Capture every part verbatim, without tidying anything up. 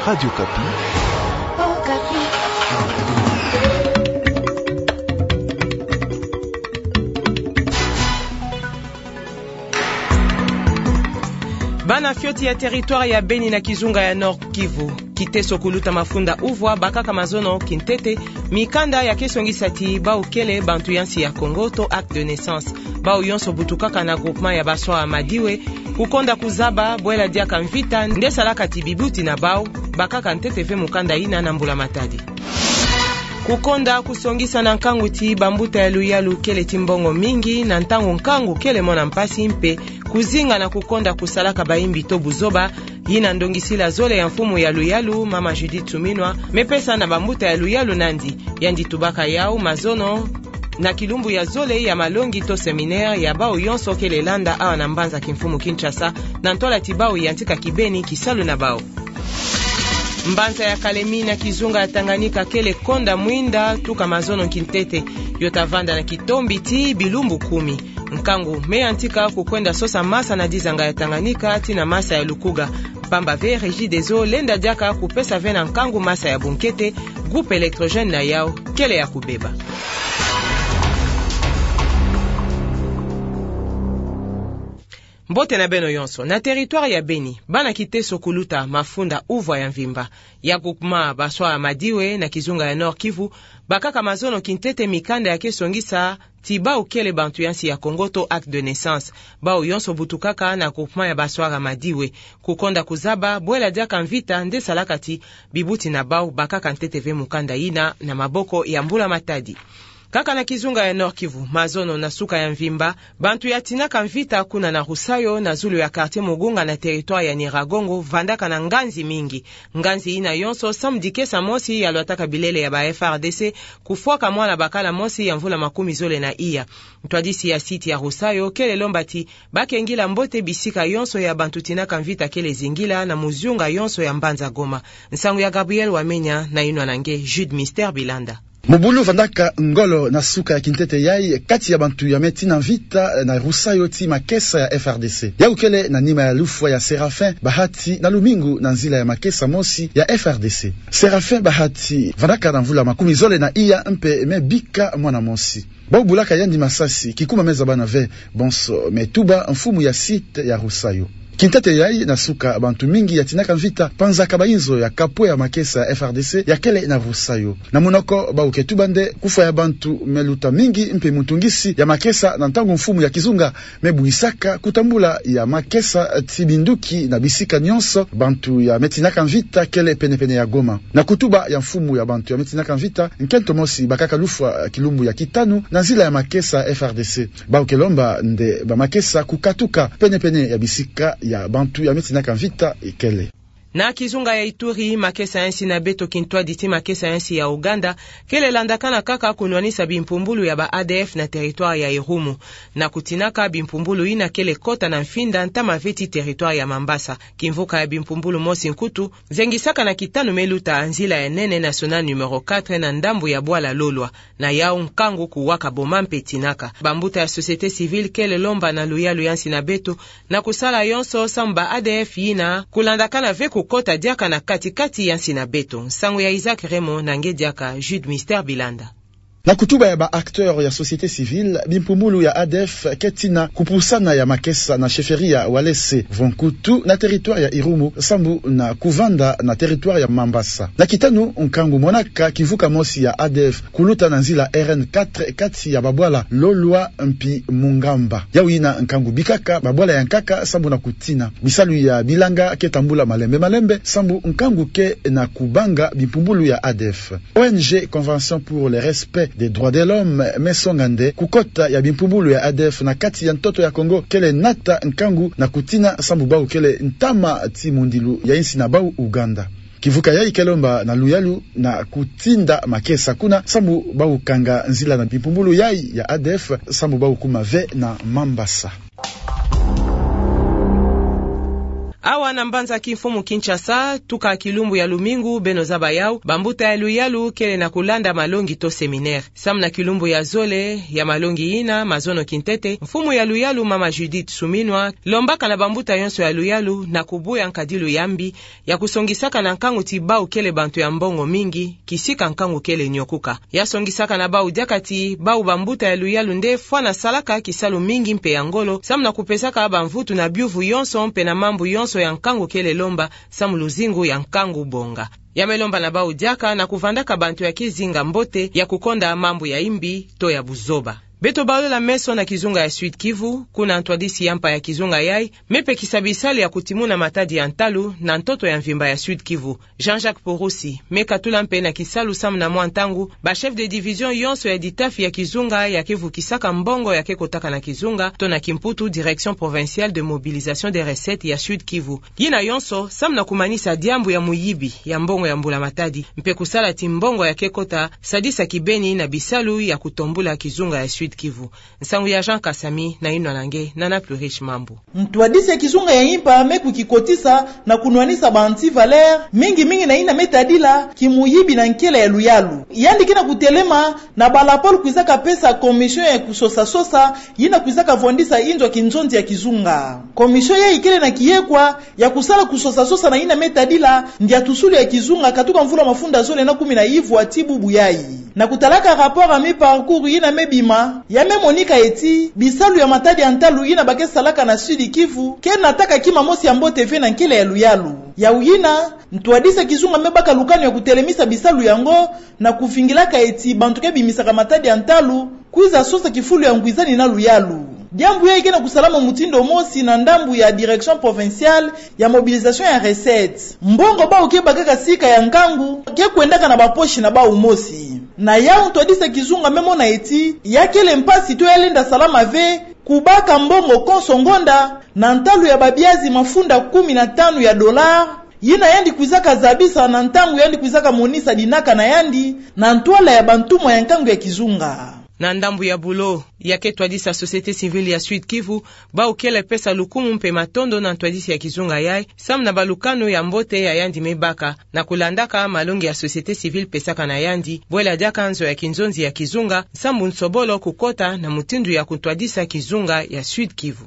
Radio Okapi. Bana fioti ya territoire ya Beni na kizunga ya Nord-Kivu. Kiteso kuluta mafunda uvwa bakaka mazono kintete mikanda ya ke songisa ti bawu kele bantu ya nsi ya Kongo to acte de naissance. Bawu yonso butukaka na groupement ya Baswara Madiwe, kukonda kuzaba bwela diaka mvita nde salaka ti bibuti na bawu, bakaka ntete ve mukanda yina na mbula matadi. Kukonda kusongisa na nkangu ti bambuta ya luyalu kele ti mbongo mingi na ntangu nkangu kele mona mpasi mpe kuzinga na kukonda kusalaka bayimbi to buzoba, yina ndongisila zole ya mfumu ya luyalu, mama Judith Suminwa, me pesa na bambuta ya luyalu nandi. Yandi tubaka yawu mazono na kilumbu ya zole ya malongi to séminaire ya bawu yonso kele landa awa na mbanza kimfumu Kinshasa, na ntola ti bawu yantika kibeni kisalu na bawu. Mbanza ya Kalemi na kizunga ya Tanganyika kele konda mwinda tuka mazono kintete. Yo ta vanda na kitombi ti bilumbu kumi. Nkangu me yantika kukwenda sosa masa na dizanga ya Tanganyika tii na masa ya Lukuga. Mpamba ve Regideso lenda diaka kupesa ve na nkangu masa ya bunkete, groupe électrogène na yawu kele ya kubeba. Mbote na beno yonso. Na territoire ya Beni, bana kiteso kuluta mafunda uvwa ya mvimba ya groupement Baswara Madiwe na kizunga ya Nord-Kivu, bakaka mazono kintete mikanda ya ke songisa ti bawu kele bantu ya nsi ya Kongo to acte de naissance. Bawu yonso butukaka na groupement ya Baswara Madiwe, kukonda kuzaba bwela diaka mvita nde salaka ti bibuti na bawu, bakaka ntete ve mukanda yina na maboko ya mbula matadi. Kaka na kizunga ya Nord-Kivu, mazono na suka ya mvimba, bantu ya tinaka mvita kuna na Rusayo, na zulu ya quartier Mugunga na territoire ya Nyiragongo, vandaka na nganzi mingi. Nganzi yina yonso samu dikesa mosi ya lwataka bilele ya ba F A R D C kufwaka mwana bakala mosi ya mvula makumi zole na iya. Ntwadisi ya site ya Rusayo kele lomba ti ba ke ngila mbote bisika yonso ya bantu tinaka mvita kele zingila na muziunga yonso ya mbanza Goma. Nsangu ya Gabriel Wamenya na yinwa na nge Jude Mister Bilanda. Mobulu vandaka ngolo na suka ya kintete yayi kati ya bantu ya me tina mvita na Rusayo tii makesa ya F A R D C. Yawu kele na nima ya lufwa ya Séraphin Bahati na lumingu na nzila ya makesa mosi ya F A R D C. Séraphin Bahati vandaka na mvula makumi zole na iya mpe me bika mwana mosi. Bawu bulaka yandi masasi, kikuma me zaba na ve, bonso me tuba mfumu ya site ya Rusayo. Kintete yayi na suka bantu mingi ya tinaka mvita, panzaka bayinzo ya kapwe ya makesa ya F A R D C ya kele na Rusayo. Na munoko bawu ke tuba nde kufwa ya bantu me luta mingi mpe muntungisi ya makesa na ntangu mfumu ya kizunga me buyisaka kutambula ya makesa tii binduki na bisika nyonso bantu ya me tinaka mvita kele penepene ya Goma. Na kutuba ya mfumu ya bantu ya me tinaka mvita, nkento mosi bakaka lufwa kilumbu ya kitanu na nzila ya makesa F A R D C. Bawu ke lomba nde ba makesa kukatuka penepene ya bisika ya bantu ya me tinaka mvita kele. Na kizunga ya Ituri, makesa ya nsi na beto kintwadi tii makesa ya nsi ya Ouganda kele landakana kaka kunwanisa bimpumbulu ya ba A D F na territoire ya Irumu. Na kutinaka bimpumbulu yina kele kota na mfinda ntama ve tii territoire ya Mambasa. Kimvuka ya bimpumbulu mosi nkutu zengisaka na kitanu me luta nzila ya nene nationale numéro quatre na ndambu ya bwala Lolwa. Na yawu nkangu kuwaka boma mpe tinaka. Bambuta ya société civile kele lomba na luyalu ya nsi na beto na kusala yonso samu ba A D F yina kulandakana ve kukota diaka na kati-kati ya nsi na beto. Nsangu ya Isaac Raymond na nge diaka Jude Mister Bilanda. Na kutuba ya ba acteurs ya société civile, bimpumbulu ya A D F ke tina kupusana ya makesa na chefferie ya Walese vo nkutu na territoire ya Irumu sambu na kuvanda na territoire ya Mambasa. Na kitanu nkangu monaka kimvuka mosi ya A D F kuluta na nzila R N quatre kati ya babwala Lolwa mpi Mungamba. Yawu yina nkangu bikaka babwala ya nkaka sambu na kutina. Bisalu ya bilanga ke tambula malembe-malembe sambu nkangu ke na kubanga bimpumbulu ya A D F. O N G Convention pour le respect des droits de l'homme me songa nde kukota ya bimpumbulu ya A D F na kati ya ntoto ya Kongo kele nata nkangu na kutina sambu bawu kele ntama tii mundilu ya insi na bawu Ouganda. Kimvuka yayi ke lomba na luyalu na kutinda makesa kuna sambu bawu kanga nzila na bimpumbulu yayi ya A D F sambu bawu kuma ve na Mambasa. Awa na mbanza kimfumu Kinshasa, tuka kilumbu ya lumingu, beno zaba yau, bambuta ya luyalu kele na kulanda malongi to séminaire. Samu na kilumbu ya zole ya malongi yina, mazono kintete, mfumu ya luyalu mama Judith Suminwa lombaka na bambuta yonso ya luyalu na kubuya nkadilu ya mbi ya kusongisaka na nkangu ti bau kele bantu ya mbongo mingi, kisika nkangu kele nyokuka. Ya songisaka na bau diaka ti bau bambuta ya luyalu nde fwana salaka kisalu mingi mpe ya ngolo, samu na kupesaka bamvutu na biuvu yonso mpe na mambu yonso ya nkangu kele lomba, samu luzingu ya nkangu bonga. Ya me lomba na bau diaka na kuvandaka bantu ya kizinga mbote ya kukonda mambu ya imbi to ya buzoba. Beto balula meso na kizunga ya Sud-Kivu, kuna ntwadisi ya mpa ya kizunga yai me pekisa bisalu ya kutimuna matadi ya ntalu na ntoto ya mvimba ya Sud-Kivu. Jean-Jacques Purusi me katula mpe na kisalu samu na mwa ntangu, ba chef de division yonso ya ditafi ya kizunga ya ke vukisaka mbongo ya ke kotaka na kizunga, to na kimputu Direction Provinciale de Mobilisation des Recettes ya Sud-Kivu. Yina yonso samu na kumanisa diambu ya muyibi ya mbongo ya mbula matadi, mpe kusala ti mbongo ya ke kota sadisa kibeni na bisalu ya kutombula kizunga ya Sud-Kivu. Nsangu ya Jean Kasami na inwa na nge Nana Plurish Mambu. Ntwadisi ya kizunga ya impa me kukikotisa na kunwanisa ba anti-valeur, mingi mingi na yina me tadila kimuyibi na nkele ya luyalu. Yandi ke na kutelema na ba lapolo kwizaka pesa commission ya kusosa-sosa, yina kwizaka vwandisa inzo ya kinzonzi ya kizunga. Commission yai kele na kiyekwa ya kusala kusosa-sosa na yina me tadila ndiatusulu ya kizunga katuka mvula mafunda zole na kumi na ivwa ti bubu yai. Na kutalaka rapport ya mi-parcours yina me bima, ya me monika eti bisalu ya matadi ya ntalu yina ba ke salaka na Sud-Kivu ke nataka kima mosi ya mbote ve na nkele ya luyalu. Yau yina, ntwadisi ya kizunga me baka lukanu ya kutelemisa bisalu yango, na kuvingilaka eti bantu ke bimisaka matadi ya ntalu kwiza sosa kifulu ya ngwizani na luyalu. Diambu yai ke na kusalama mutindu mosi na ndambu ya Direction Provinciale ya Mobilisation ya Recettes. Mbongo bau ke bakaka sika ya nkangu ke kwendaka na ba poche na bau mosi. Na yau ntwadisi ya kizunga me mona eti ya kele mpasi to ya lenda salama ve kubaka mbongo konso ngonda na ntalu ya babiazi mafunda kumi na tanu ya dollar, yina yandi kwizaka zabisa na ntangu yandi kwizaka monisa dinaka na yandi na ntwala ya bantumwa ya nkangu ya kizunga. Na ndambu ya bulo, ya ke twadisa société civile ya Sud-Kivu, bau kele pesa lukumu mpe matondo na ntwadisi ya kizunga yai, samu na balukanu ya mbote ya yandi me baka, na kulandaka malongi ya société civile pesaka na yandi, bwela diaka nzo ya kinzonzi ya kizunga, sambu nsobolo kukota na mutindu ya kutwadisa kizunga ya Sud-Kivu.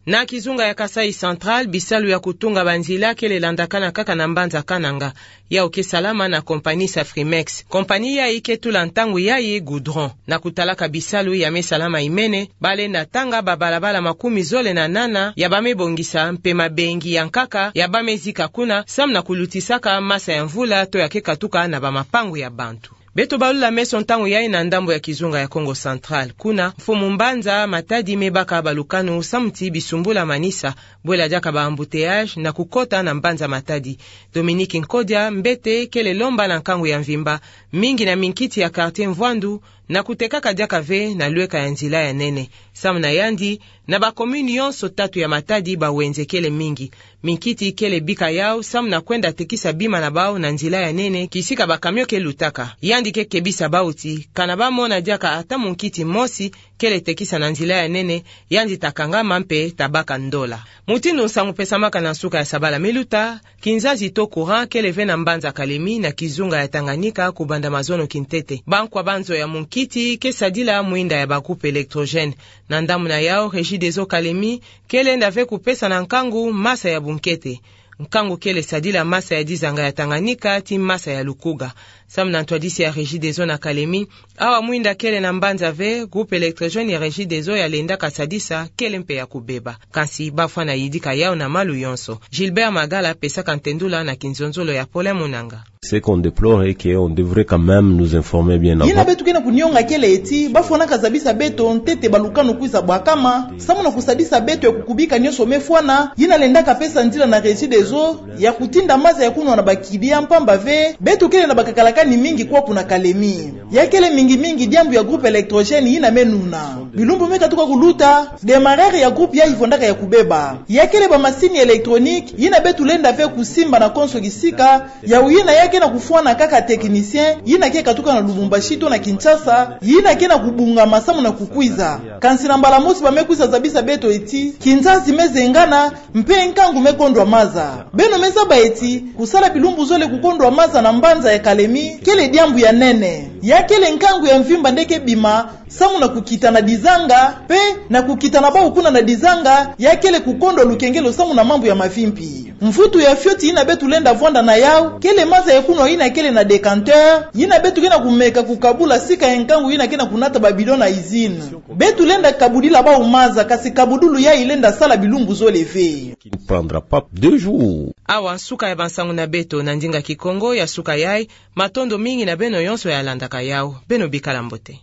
Na kizunga ya Kasaï Central, bisalu ya kutunga banzila kele landakana kaka na mbanza Kananga. Yau ke salama na compagnie Safrimex. Compagnie yai ke tula ntangu yai goudron. Na kutalaka bisalu ya me salama imene, ba lenda tanga babalabala makumi zole na nana ya ba me bongisa, mpe mabengi ya nkaka ya ba me zika kuna, samu na kulutisaka masa ya mvula to ya ke katuka na bamapangu ya bantu. Beto balula meso ntangu yai na ndambu ya kizunga ya Kongo Central. Kuna, mfumu mbanza Matadi me baka balukanu samu ti bisumbula manisa, bwela diaka ba embouteillage na kukota na mbanza Matadi. Dominique Nkodia Mbete kele lomba na nkangu ya mvimba, mingi na minkiti ya quartier Mvwandu, na kutekaka diaka ve na lweka ya nzila ya nene. Samu na yandi, na ba commune yonso tatu ya Matadi, bawenze kele mingi. Minkiti kele bika yau samu na kwenda tekisa bima na bau na nzila ya nene, kisika ba camion ke lutaka. Yandi ke kebisa bau ti, kana ba mona diaka ata munkiti mosi kele tekisa na nzila ya nene, yandi ta kangama mpe ta baka ndola. Mutindu nsangu pesamaka na nsuka ya sabala me luta, kinzazi to courant kele ve na mbanza Kalemi na kizunga ya Tanganyika kubanda mazono kintete. Bankwa banzo ya munkiti ke sadila mwinda ya ba groupe électrogène. Na ndambu na yau, Regideso Kalemi ke lenda ve kupesa na nkangu masa ya bunkete. Nkangu kele sadila masa ya dizanga ya Tanganyika ti masa ya Lukuga. Samu na ntwadisi ya Regideso na Kalemi, awa mwinda kele na mbanza ve, groupe électrogène ya Regideso ya lendaka sadisa kele mpe ya kubeba. Kansi ba fwana yidika yau na malu yonso. Gilbert Magala pesaka ntendula na kinzonzolo ya Paulin Munanga. Ce qu'on déplore est qu'on devrait quand même nous informer bien avant. Yina beto ke na kunionga kele eti, ba fwanaka zabisa beto ntete balukanu kwiza bwakama, samu na kusadisa beto ya kukubika nionso me fwana, yina lendaka pesa nzila na Regideso ya kutinda masa ya kunwa na ba client, mpamba ve beto kele na bakakalaka ni mingi kwaku na Kalemi. Ya kele mingi mingi diambu ya groupe électrogène yina me nuna. Bilumbu me katuka kuluta, démarreur ya groupe yayi fondaka ya kubeba. Ya kele ba masini électronique yina beto lenda ve kusimba na konso kisika, yawu yina ya ke na kufwana kaka technicien yina ke katuka na Lubumbashi to na Kinshasa, yina ke na kubungama samu na kukwiza. Kansi na mbala mosi ba me kwiza zabisa beto eti, kinzazi me zengana, mpe nkangu me kondwa maza. Beno me zaba eti, kusala bilumbu zole kukondwa maza na mbanza ya Kalemi, kele diambu ya nene. Ya kele nkangu ya mvimba nde ke bima, samu na kukitana dizanga, mpe na kukitana bawu kuna na dizanga, ya kele kukondwa lukengelo samu na mambu ya mavimpi. Mvutu ya fioti yina beto lenda vwanda na yawu, kele maza ya kunwa yina kele na décanteur, yina beto ke na kumeka kukabula sika ya nkangu yina ke na kunata ba bidon na usine. Beto lenda kabudila bawu maza, kasi kabudulu yayi lenda sala bilumbu zole ve. Qui ne prendra pas deux jours. Awa nsuka ya bansangu na beto na ndinga Kikongo ya suka yayi, matondo mingi na beno yonso ya landaka yawu. Beno bikala mbote.